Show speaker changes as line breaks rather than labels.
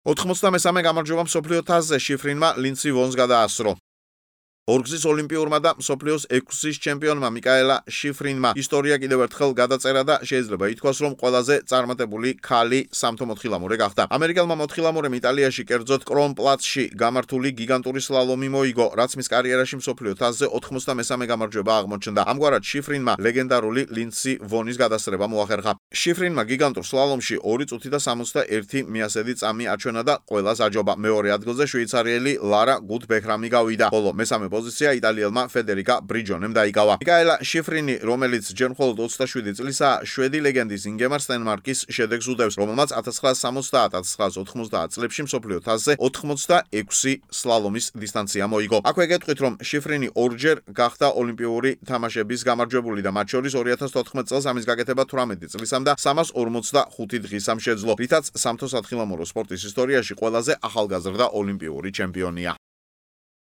93 გამარჯვება მსოფლიო თასზე შიფრინმა ლინდსი ვონს გადაასწრო. ორგზის ოლიმპიურმა და მსოფლიოს 6-ის ჩემპიონმა მიკაელა შიფრინმა ისტორია კიდევ ერთხელ გადაწერა და შეიძლება ითქვას, რომ ყველაზე წარმატებული ქალი სამთო მოთხილამურე გახდა. ამერიკელმა მოთხილამურემ იტალიაში, კერძოდ კრონპლაცში გამართული გიგანტური სლალომი მოიგო, რაც მის კარიერაში მსოფლიო თასზე 93 გამარჯვება აღმოჩნდა. ამგვარად შიფრინმა ლეგენდარული ლინდსი ვონის გადასწრება მოახერხა. შიფრინმა გიგანტურ სლალომში 2 წუთი და 61 მიასედი წამი აჩვენა და ყველას აჯობა. მეორე ადგილზე შვეიცარიელი ლარა გუდბექრამი გავიდა, ხოლო მესამე პოზიცია იტალიელმა ფედერიკა ბრიჯონემ დაიკავა. მიკაელა შიფრინი, რომელიც ჯერ მხოლოდ 27 წლისაა, შვედი ლეგენდის ინგემარ სტენმარკის შედეგს უდევს, რომელმაც 1970-1990 წლებში მსოფლიო თასზე 86 სლალომის დისტანცია მოიგო. აქვე გეტყვით, რომ შიფრინი ორჯერ გახდა ოლიმპიური თამაშების გამარჯვებული და მათ შორის 2014 წელს ამის გაკეთება 18 წლისამ და 345 დღისამ შეძლო, რითაც სამთო სათხილამურო სპორტის ისტორიაში ყველაზე ახალგაზრდა ოლიმპიური ჩემპიონია.